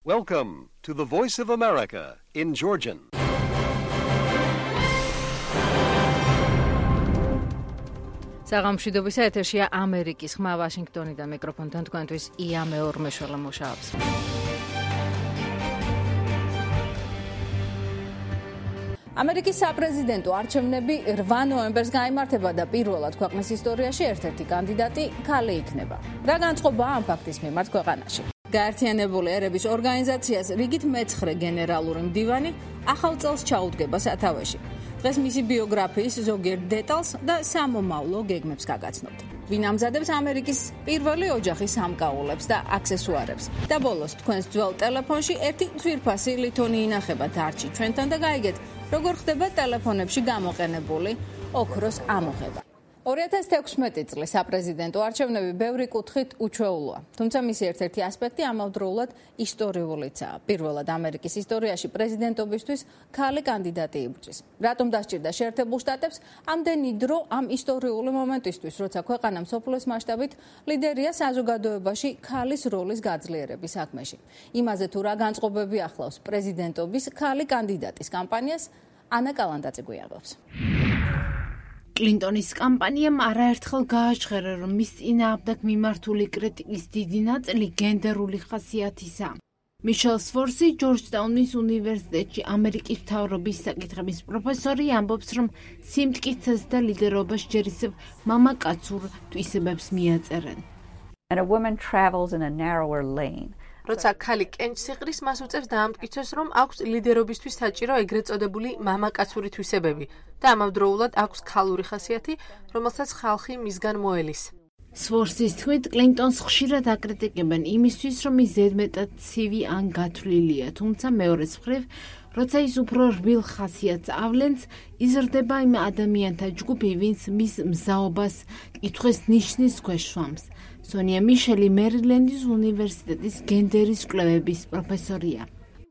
Welcome to the Voice of America in Georgian. საღამოშვიდობის ეთერშია ამერიკის ხმა ვაშინგტონიდან მიკროფონთან თქვენთვის ია მეორმეშველა მუშაობს. ამერიკის საპრეზიდენტო არჩევნები 8 ნოემბერს გაიმართება და პირველად ქვეყნის ისტორიაში ერთ-ერთი კანდიდატი ქალი იქნება. რა განწყობაა ამ ფაქტის მიმართ ქვეყანაში? გაერთიანებული ერების ორგანიზაციას რიგით მე-9 გენერალური მდივანი ახალ წელს ჩაუდგება სათავეში. დღეს მისი ბიოგრაფიის ზოგიერთ დეტალს და სამომავლო გეგმებს გაგაცნობთ. ვინ ამზადებს ამერიკის პირველი ოჯახის სამკაულებს და აქსესუარებს. და ბოლოს თქვენს ძველ ტელეფონში ერთი ძვირფასი ლითონი ინახება დარჩი ჩვენთან და გაიგეთ, როგორ ხდება ტელეფონებში გამოყენებული ოქროს ამოღება. 2016 წლის საპრეზიდენტო არჩევნები ბევრი კუთხით უჩვეულოა. თუმცა მისი ერთ-ერთი ასპექტი ამავდროულად ისტორიულიცაა. პირველად ამერიკის ისტორიაში პრეზიდენტობისთვის ქალი კანდიდატი იბრძვის. რატომ დასჭირდა შეერთებულ შტატებს ამდენი დრო ამ ისტორიული მომენტისთვის, როცა ქვეყანა მსოფლიოს მასშტაბით ლიდერია საზოგადოებაში ქალის როლის გაძლიერების საქმეში. იმაზე თუ რა განწყობები ახლავს პრეზიდენტობის ქალი კანდიდატის კამპანიას, ანა კალანდაძე გვიამბობს. კლინტონის კამპანიამ არაერთხელ გააჟღერა, რომ მის წინააღმდეგ მიმართული კრიტიკის დიდი ნაწილი გენდერული ხასიათისაა. მიშელ სფორსი ჯორჯტაუნის უნივერსიტეტში ამერიკის მთავრობის საკითხების პროფესორი ამბობს, რომ სიმტკიცეს და ლიდერობას ჯერ ისევ მამაკაცურ თვისებებს მიაწერენ. And a woman travels in a narrower lane. როცა ქალი კენჭს იყრის, მას უწევს დაამტკიცოს, რომ აქვს ლიდერობისთვის საჭირო ეგრეთ წოდებული მამაკაცური თვისებები და ამავდროულად აქვს ქალური ხასიათი, რომელსაც ხალხი მისგან მოელის. სფორსის თქმით, კლინტონს ხშირად აკრიტიკებენ იმისთვის, რომ ის ზედმეტად ცივი ან გათვლილია, თუმცა მეორეს მხრივ, როცა ის უფრო რბილ ხასიათს ავლენს, იზრდება იმ ადამიანთა ჯგუფი, ვინც მის მზაობას კითხვის ნიშნის ქვეშ შვამს. სონია მიშელი მერილენდის უნივერსიტეტის გენდერის კვლევების პროფესორია.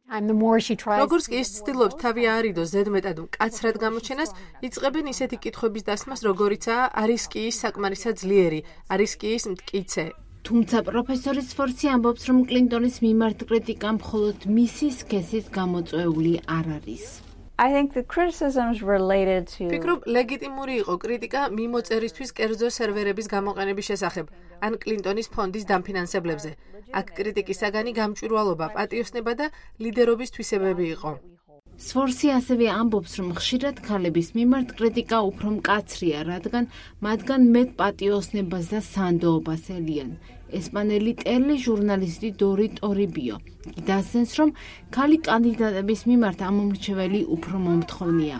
როგორც კი ის ცდილობს თავი აარიდოს ზედმეტად მკაცრად გამოჩენას, იწყებენ ისეთი კითხვების დასმას, როგორიცაა არის კი ის საკმარისად ძლიერი, არის კი ის მტკიცე. თუმცა პროფესორი სფორსი ამბობს, რომ კლინტონის მიმართ კრიტიკა მხოლოდ მისი სქესის გამოწვეული არ არის. I think the criticisms related to ფიქრობ, ლეგიტიმური იყო კრიტიკა მიმოწერისთვის კერძო სერვერების გამოყენების შესახებ, ან კლინტონის ფონდის დამფინანსებლებზე. აქ კრიტიკის საგანი გამჭვირვალობა, პატიოსნება და ლიდერობის თვისებები იყო. სფორსი ასევე ამბობს, რომ ხშირად ქალების მიმართ კრიტიკა უფრო მკაცრია, რადგან მათგან მეტ პატიოსნებას და სანდოობას ელიან. ესპანელი ტელეჟურნალისტი დორი ტორიბიო დასცენს, რომ ქალი კანდიდატების მიმართ ამომრჩეველი უფრო მომთხოვნია.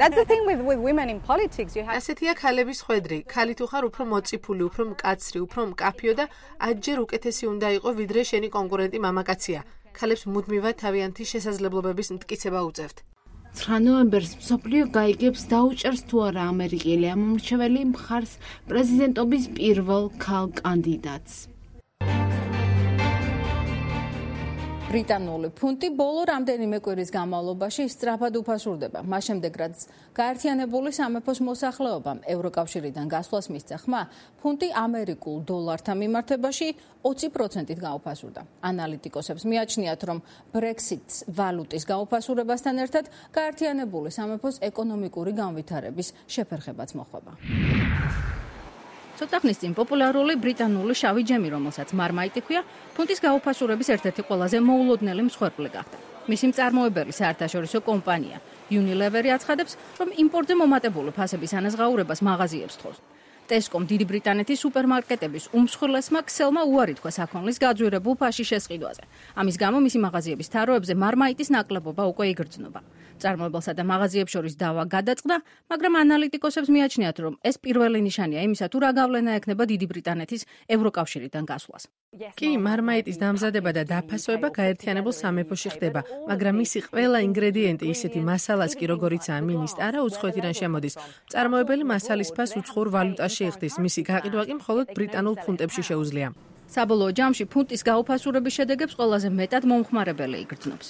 That's the thing with women in politics. You have ასეთია ქალების ხვედრი. ქალი თუ ხარ უფრო მოწიფული, უფრო მკაცრი, უფრო მკაფიო და ათჯერ უკეთესი უნდა იყო, ვიდრე შენი კონკურენტი მამაკაცია. ქალებს მუდმივად თავიანთი შესაძლებლობების მტკიცება უწევთ. 9 ნოემბერს მსოფლიო გაიგებს დაუჭერს თუ არა ამერიკელი ამომრჩეველი მხარს პრეზიდენტობის პირველ ქალ კანდიდატს. ბრიტანული ფუნტი ბოლო რამდენიმე კვირის განმავლობაში სწრაფად უფასურდება. მას შემდეგ, რაც გაერთიანებული სამეფოს მოსახლეობამ ევროკავშირიდან გასვლას მისცა ხმა, ფუნტი ამერიკულ დოლართან მიმართებაში 20%-ით გაუფასურდა. ანალიტიკოსებს მიაჩნიათ, რომ ბრექსიტს ვალუტის გაუფასურებასთან ერთად გაერთიანებული სამეფოს ეკონომიკური განვითარების შეფერხებაც მოხვება. ცოტა ხნის წინ პოპულარული ბრიტანული შავი ჯემი, რომელსაც მარმაიტი ჰქვია, ფუნტის გაუფასურების ერთ-ერთი ყველაზე მოულოდნელი მსხვერპლი გახდა. მისი მწარმოებელი საერთაშორისო კომპანია Unilever აცხადებს, რომ იმპორტზე მომატებული ფასების ანაზღაურებას მაღაზიებს თხოვს. ტესკომ დიდი ბრიტანეთის სუპერმარკეტების უმსხვილესმა ქსელმა უარი თქვა საქონლის გაძვირებულ ფაშის შესყიდვაზე. ამის გამო მისი მაღაზიების თაროებზე მარმაიტის ნაკლებობა უკვე იგრძნობა. წარმოებელსა და მაღაზიებს შორის დავა გადაწყდა, მაგრამ ანალიტიკოსებს მიაჩნიათ, რომ ეს პირველი ნიშანია იმისა, თუ რა გავლენა ექნება დიდი ბრიტანეთის ევროკავშირიდან გასვლას. კი, მარმაიტის დამზადება და დაფასება გაერთიანებულ სამეფოში ხდება, მაგრამ მისი ყველა ინგრედიენტი, ისეთი მასალაც კი როგორიცაა მინისტარა, უცხოეთიდან შემოდის. მწარმოებელი მასალის ფას უცხოურ ვალუტაში იხდის, მისი გაყიდვა კი მხოლოდ ბრიტანულ ფუნტებში შეუძლია. საბოლოო ჯამში ფუნტის გაუფასურების შედეგებს ყველაზე მეტად მომხმარებელი იგრძნობს.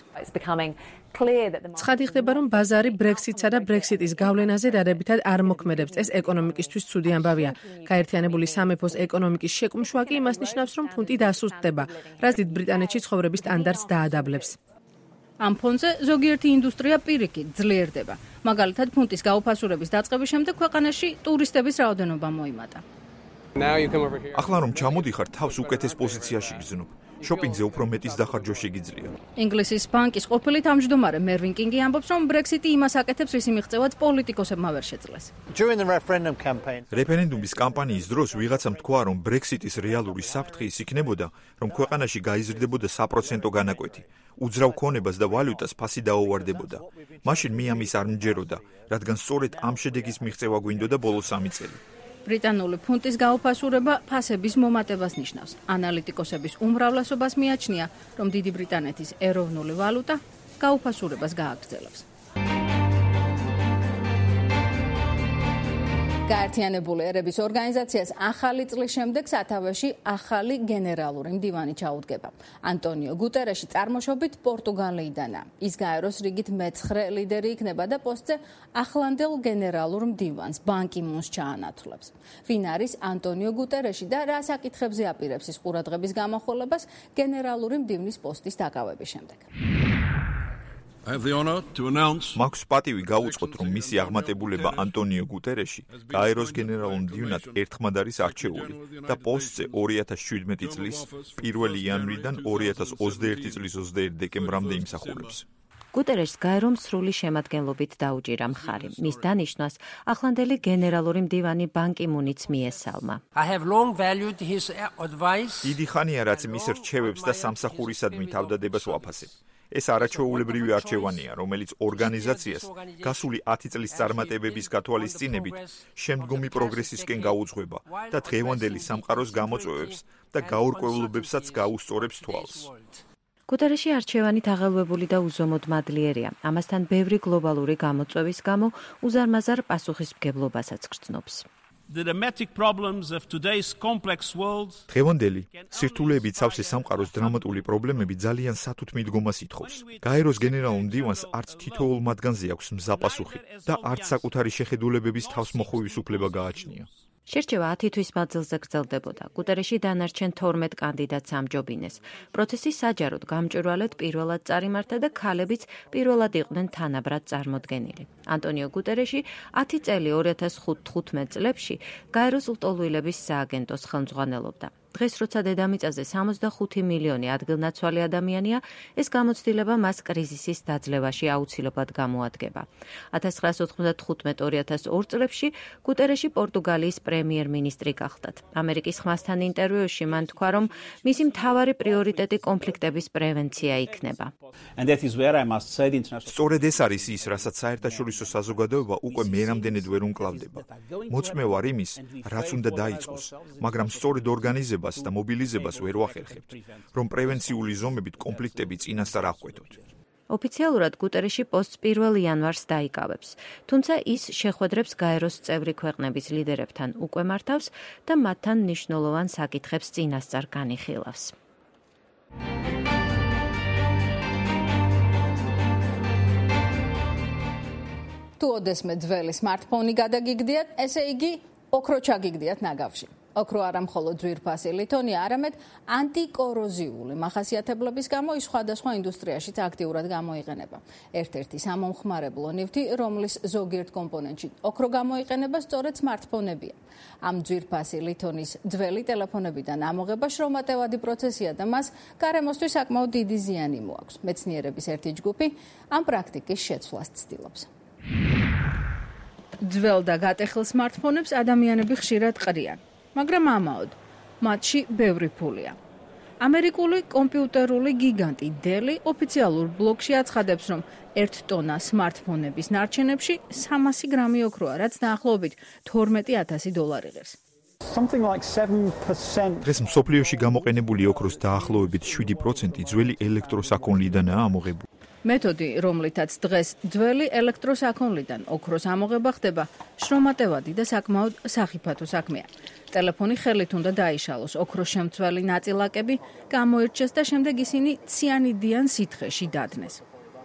ცხადი ხდება, რომ ბაზარი ბრექსიტსა და ბრექსიტის გავლენაზე დადებითად არ მოქმედებს. ეს ეკონომიკისთვის ცუდი ამბავია. გაერთიანებული სამეფოს ეკონომიკის შეკუმშვა კი იმას ნიშნავს, რომ ფუნტი დასუსტდება, რაც დიდ ბრიტანეთში ცხოვრების სტანდარტს დაადაბლებს. ამ ფონზე ზოგიერთი ინდუსტრია პირიქით ძლიერდება. მაგალითად, ფუნტის გაუფასურების დაწყების შემდეგ ქვეყანაში ტურისტების რაოდენობა მოიმატა. ახლა რომ ჩამოდიხარ, თავს უკეთეს პოზიციაში გრძნობ. შოპინგზე უფრო მეტის დახარჯვა შეგიძლია. ინგლისის ბანკის ყოფილი თავმჯდომარე მერვინ კინგი ამბობს, რომ ბრექსიტი იმას აკეთებს, რის მიღწევაც პოლიტიკოსებმა ვერ შეძლეს. რეფერენდუმის კამპანიის დროს ვიღაცამ თქვა, რომ ბრექსიტის რეალური საფრთხე ის იქნებოდა, რომ ქვეყანაში გაიზრდებოდა საპროცენტო განაკვეთი. უძრავ ქონებას და ვალუტას ფასი დაუვარდებოდა. მაშინ მე ამის არ მჯეროდა, რადგან სწორედ ამ შედეგის მიღწევა გვინდოდა ბოლო 3 წელი. ბრიტანული ფუნტის გაუფასურება ფასების მომატებას ნიშნავს. ანალიტიკოსების უმრავლესობას მიაჩნია, რომ დიდი ბრიტანეთის ეროვნული ვალუტა გაუფასურებას გააგრძელებს. გაერთიანებული ერების ორგანიზაციას ახალი წლის შემდეგ სათავეში ახალი გენერალური მდივანი ჩაუდგება. ანტონიო გუტერეში წარმოშობით პორტუგალიიდანაა. ის გაეროს რიგით მე-9 ლიდერი იქნება და პოსტზე ახლანდელ გენერალურ მდივანს ბან კი მუნს ჩაანაცვლებს. ვინ არის ანტონიო გუტერეში და რა საკითხებზე აპირებს ის ყურადღების გამახვილებას გენერალური მდივნის პოსტის დაკავების შემდეგ. მაქვს პატივი გაუწყოთ, რომ მისი აღმატებულება ანტონიო გუტერეში გაეროს გენერალურ მდივნად ერთხმად არის არჩეული და პოსტზე 2017 წლის 1 იანვრიდან 2021 წლის 21 დეკემბრამდე იმსახურებს. გუტერეშს გაერომ სრული შემადგენლობით დაუჭირა მხარი. მის დანიშვნას ახლანდელი გენერალური მდივანი ბან კი მუნიც მიესალმა. დიდი ხანია, რაც მის რჩევებს და სამსახურისადმი თავდადებას ვაფასებ. ეს არაჩვეულებრივი არჩევანია, რომელიც ორგანიზაციას გასული 10 წლის წარმატებების გათვალისწინებით შემდგომი პროგრესისკენ გაუძღვება და დღევანდელი სამყაროს გამოწვევებს და გაურკვევლობებსაც გაუსწორებს თვალს. გუტერეში არჩევანი თაღელვებული და უზომოდ მადლიერია. ამასთან ბევრი გლობალური გამოწვევის გამო უზარმაზარ პასუხისმგებლობასაც გრძნობს. დღევანდელი სირთულეებით სავსე სამყაროს დრამატული პრობლემები ძალიან სათუთ მიდგომას ითხოვს. გაეროს გენერალურ მდივანს არც თითოეულ მათგანზე აქვს მზა პასუხი და არც საკუთარი შეხედულებების თავსმოხვევის უფლება გააჩნია. შერჩევა 10 თვის მანძილზე გრძელდებოდა. გუტერეში დანარჩენ 12 კანდიდატს ამჯობინეს. პროცესი საჯაროდ გამჭვირვალედ პირველად წარიმართა და ქალებიც პირველად იყვნენ თანაბრად წარმოდგენილი. ანტონიო გუტერეში 10 წელი 2015 წლებში გაეროს ლტოლვილების სააგენტოს ხელმძღვანელობდა. დღეს როცა დედამიწაზე 65 მილიონი ადგილნაცვალი ადამიანია, ეს გამოცდილება მას კრიზისის დაძლევაში აუცილებლად გამოადგება. 1995-2002 წლებში გუტერეში პორტუგალიის პრემიერ-მინისტრი გახდათ. ამერიკის ხმასთან ინტერვიუში მან თქვა, რომ მისი მთავარი პრიორიტეტი კონფლიქტების პრევენცია იქნება. სწორედ ეს არის ის, რასაც საერთაშორისო საზოგადოება უკვე მერამდენედ ვერ უმკლავდება. მოწმე ვარ იმის, რაც უნდა დაიწყოს, მაგრამ სწორედ ორგანიზება და მობილიზებას ვერ ვახერხებთ, რომ პრევენციული ზომებით კონფლიქტები წინასწარ აღკვეთოთ. ოფიციალურად გუტერეში პოსტს 1 იანვარს დაიკავებს, თუმცა ის შეხვედრებს გაეროს წევრი ქვეყნების ლიდერებთან უკვე მართავს და მათთან მნიშვნელოვან საკითხებს წინასწარ განიხილავს. თუ ოდესმე ძველი smartphone-ი გადაგიგდიათ, ესე იგი ოქრო ჩაგიგდიათ ნაგავში. ოქრო არა მხოლოდ ძვირფასი ლითონია, არამედ ანტიკოროზიული მახასიათებლების გამო ის სხვადასხვა ინდუსტრიაშიც აქტიურად გამოიყენება. ერთ-ერთი სამომხმარებლო ნივთი, რომლის ზოგიერთ კომპონენტში ოქრო გამოიყენება, სწორედ smartphone-ებია. ამ ძვირფასი ლითონის ძველი ტელეფონებიდან ამოღება შრომატევადი პროცესია და მას გარემოსთვის საკმაოდ დიდი ზიანი მოაქვს. მეცნიერების ერთი ჯგუფი ამ პრაქტიკის შეცვლას ცდილობს. ძველ და გატეხილ smartphone-ებს ადამიანები ხშირად ყრიან. მაგრამ ამაოდ, მათში ბევრი ფულია. ამერიკული კომპიუტერული გიგანტი Dell ოფიციალურ ბლოგში აცხადებს, რომ 1 ტონა smartphone-ების ნარჩენებში 300 გრამი ოქროა, რაც დაახლოებით $12,000 იღებს. დღეს მსოფლიოში გამოყენებული ოქროს დაახლოებით 7% ძველი ელექტროსაქონლიდანაა ამოღებული. მეთოდი, რომლითაც დღეს ძველი ელექტროსაქონლიდან ოქროს ამოღება ხდება, შრომატევადი და საკმაოდ სახიფათო საქმეა. ტელეფონი ხელით უნდა დაიშალოს, ოქროს შემცველი ნაწილაკები გამოირჩეს და შემდეგ ისინი ციანიდიან სითხეში დადნეს.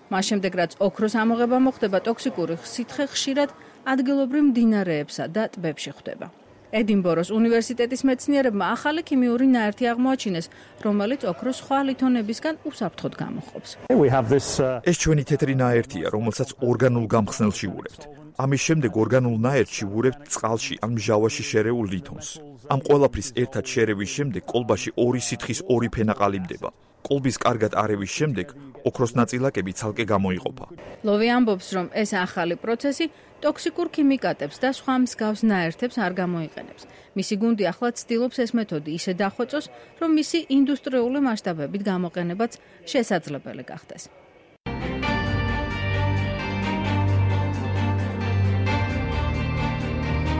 მას შემდეგ რაც ოქროს ამოღება მოხდება, ტოქსიკური სითხე ხშირად ადგილობრივ მდინარეებსა და ტბებში ხვდება. ედინბოროს უნივერსიტეტის მეცნიერებმა ახალი ქიმიური ნაერთი აღმოაჩინეს, რომელიც ოქროს სხვა ლითონებისგან უსაფრთხოდ გამოჰყოფს. ეს ჩვენი თეთრი ნაერთია, რომელსაც ორგანულ გამხსნელში ვურებთ. ამის შემდეგ ორგანულ ნაერთში ვურებთ წყალში ან მჟავაში შერეულ ლითონს. ამ ყველაფრის ერთად შერევის შემდეგ კოლბაში ორი სითხის ორი ფენა ყალიბდება. კოლბის კარგად არევის შემდეგ ოქროს ნაწილაკები ცალკე გამოიყოფა. ლოვი ამბობს, რომ ეს ახალი პროცესი ტოქსიკურ ქიმიკატებს და სხვა მსგავს ნაერთებს არ გამოიყენებს. მისი გუნდი ახლა ცდილობს ეს მეთოდი ისე დახვეწოს, რომ მისი ინდუსტრიული მასშტაბებით გამოყენებაც შესაძლებელი გახდეს.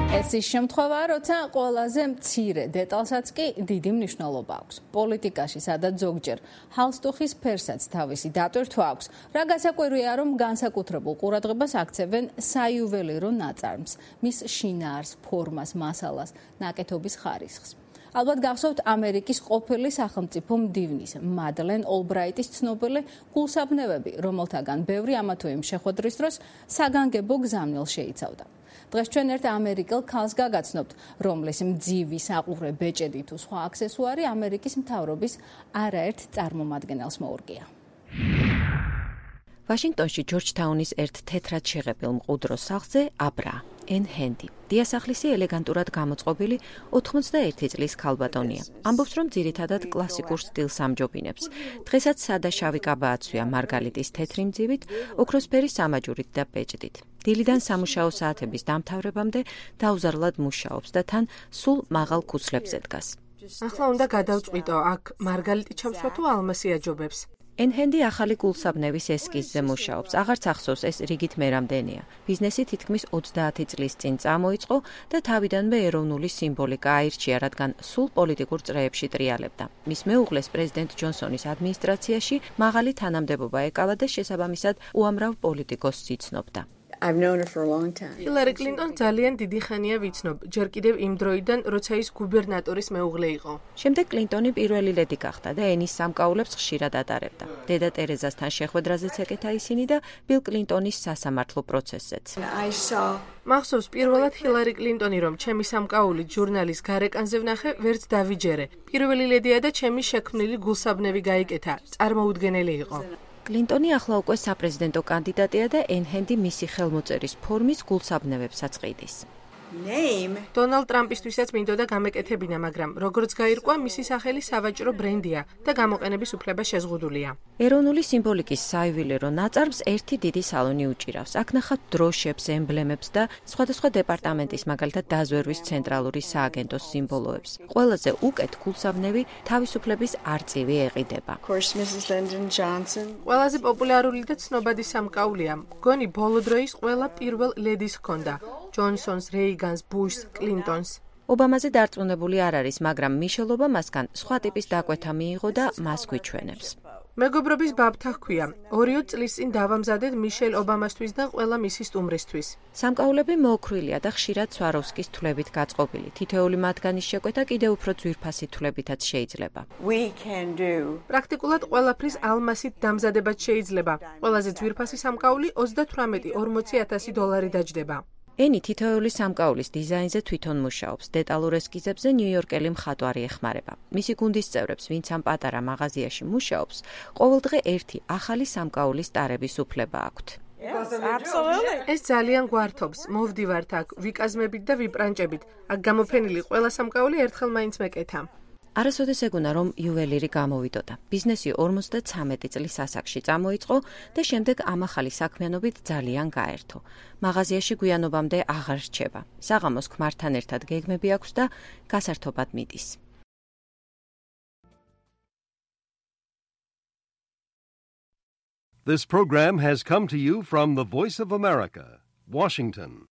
ეს ის შემთხვევაა, როცა ყველაზე მცირე დეტალსაც კი დიდი მნიშვნელობა აქვს. პოლიტიკაში, სადაც ზოგჯერ ჰალსტუხის ფერსაც თავისი დატვირთვა აქვს, რა გასაკვირია, რომ განსაკუთრებულ ყურადღებას აქცევენ საიუველირო ნაწარმს, მის შინაარს, ფორმას, მასალას, ნაკეთობის ხარისხს. ალბათ გახსოვთ ამერიკის ყოფილი სახელმწიფო მდივნის მადლენ ოლბრაიტის ცნობილი გულსაბნევები, რომელთაგან ბევრი ამა თუ იმ შეხვედრის დროს საგანგებო გზავნილს შეიცავდა. დღეს ჩვენ ერთ ამერიკელ ქალს გაგაცნობთ, რომლის მძივი საყურე ბეჭედი თუ სხვა აქსესუარი ამერიკის მთავრობის არაერთ წარმომადგენელს მოურგია. ვაშინგტონში ჯორჯთაუნის ერთ თეთრად შეღებილ მყუდრო სახლზე აბრა ენ ჰენდი. დიასახლისი ელეგანტურად გამოწყობილი 81 წლის ქალბატონია. ამბობს, რომ ძირითადად კლასიკურ სტილს ამჯობინებს. დღესაც სადა შავი კაბა აცვია მარგალიტის თეთრი მძივით, ოქროსფერი სამაჯურით და ბეჭდით. დილიდან სამუშაო საათების დამთავრებამდე დაუზარლად მუშაობს და თან სულ მაღალ ქუცლებზე დგას. ახლა უნდა გადავწყვიტო, აქ მარგალიტი ჩამსვა თუ ალმასი აჯობებს. ენ-ჰენდი ახალი გულსაბნევის ესკიზზე მუშაობს. აღარც ახსოვს, ეს რიგით მერამდენია. ბიზნესი თითქმის 30 წლის წინ წამოიწყო და თავიდანვე ეროვნული სიმბოლიკა აირჩია, რადგან სულ პოლიტიკურ წრეებში ტრიალებდა. მის მეუღლეს პრეზიდენტ ჯონსონის ადმინისტრაციაში მაღალი თანამდებობა ეკავა და შესაბამისად უამრავ პოლიტიკოსს იცნობდა. ჰილარი კლინტონს ძალიან დიდი ხანია ვიცნობ, ჯერ კიდევ იმ დროიდან, როცა ის გუბერნატორის მეუღლე იყო. შემდეგ კლინტონი პირველი ლედი გახდა და ენის სამკაულებს ხშირად ატარებდა. დედა ტერეზასთან შეხვედრაზეც ეკეთა ისინი და ბილ კლინტონის სასამართლო პროცესზეც. მახსოვს, პირველად ჰილარი კლინტონი, რომ ჩემი სამკაული ჟურნალის გარეკანზე ვნახე, ვერც დავიჯერე. პირველი ლედია და ჩემი შექმნილი გულსაბნევი გაიკეთა. წარმოუდგენელი იყო. კლინტონი ახლა უკვე საპრეზიდენტო კანდიდატია და ენ-ჰენდი მისი ხელმოწერის ფორმის გულსაბნევებსაც ყიდის. დონალდ ტრამპისთვისაც მინდოდა გამეკეთებინა, მაგრამ როგორც გაირკვა, მისი სახელი სავაჭრო ბრენდია და გამოყენების უფლება შეზღუდულია. ეროვნული სიმბოლიკის საიუველირო ნაწარმს ერთი დიდი სალონი უჭირავს. აქ ნახავთ დროშებს, ემბლემებს და სხვადასხვა დეპარტამენტის, მაგალითად დაზვერვის ცენტრალური სააგენტოს სიმბოლოებს. ყველაზე უკეთ გულსაბნევი თავისუფლების არწივი ეყიდება. ყველაზე პოპულარული და ცნობადი სამკაულია. მგონი ბოლო დროის ყველა პირველ ლედის ჰქონდა. ჯონსონს, რეიგანს, ბუშს, კლინტონს. ობამაზე დარწმუნებული არ არის, მაგრამ მიშელ ობამასგან სხვა ტიპის დაკვეთა მიიღო და მას გვიჩვენებს. მეგობრობის ბაბთა ჰქვია. 2 წლის წინ დავამზადეთ მიშელ ობამასთვის და ყველა მისი სტუმრისთვის. სამკაულები მოოქრვილია და ხშირად სვაროვსკის თვლებით გაწყობილი. თითოეული მათგანის შეკვეთა კიდევ უფრო ძვირფასი თვლებითაც შეიძლება. პრაქტიკულად ყველაფრის ალმასით დამზადებაც შეიძლება. ყველაზე ძვირფასი სამკაული 38-40,000 დოლარი დაჯდება. ენი თითოეული სამკაულის დიზაინზე თვითონ მუშაობს. დეტალურ ესკიზებზე ნიუ-იორკელი მხატვარი ეხმარება. მისი გუნდის წევრებს, ვინც ამ პატარა მაღაზიაში მუშაობს, ყოველდღე ერთი ახალი სამკაულის ტარების უფლება აქვთ. ეს ძალიან გვართობს. მოვდივართ აქ ვიკაზმებით და ვიბრანჭებით. აქ გამოფენილი ყველა სამკაული ერთხელ მაინც მეკეთა. არასოდეს ეგონა, რომ იუველირი გამოვიდოდა. ბიზნესი 53 წლის ასაკში წამოიწყო და შემდეგ ამ ახალი საქმიანობით ძალიან გაერთო. მაღაზიაში გვიანობამდე აღარ რჩება. საღამოს ქმართან ერთად გეგმები აქვს და გასართობად მიდის. This program has come to you from the Voice of America, Washington.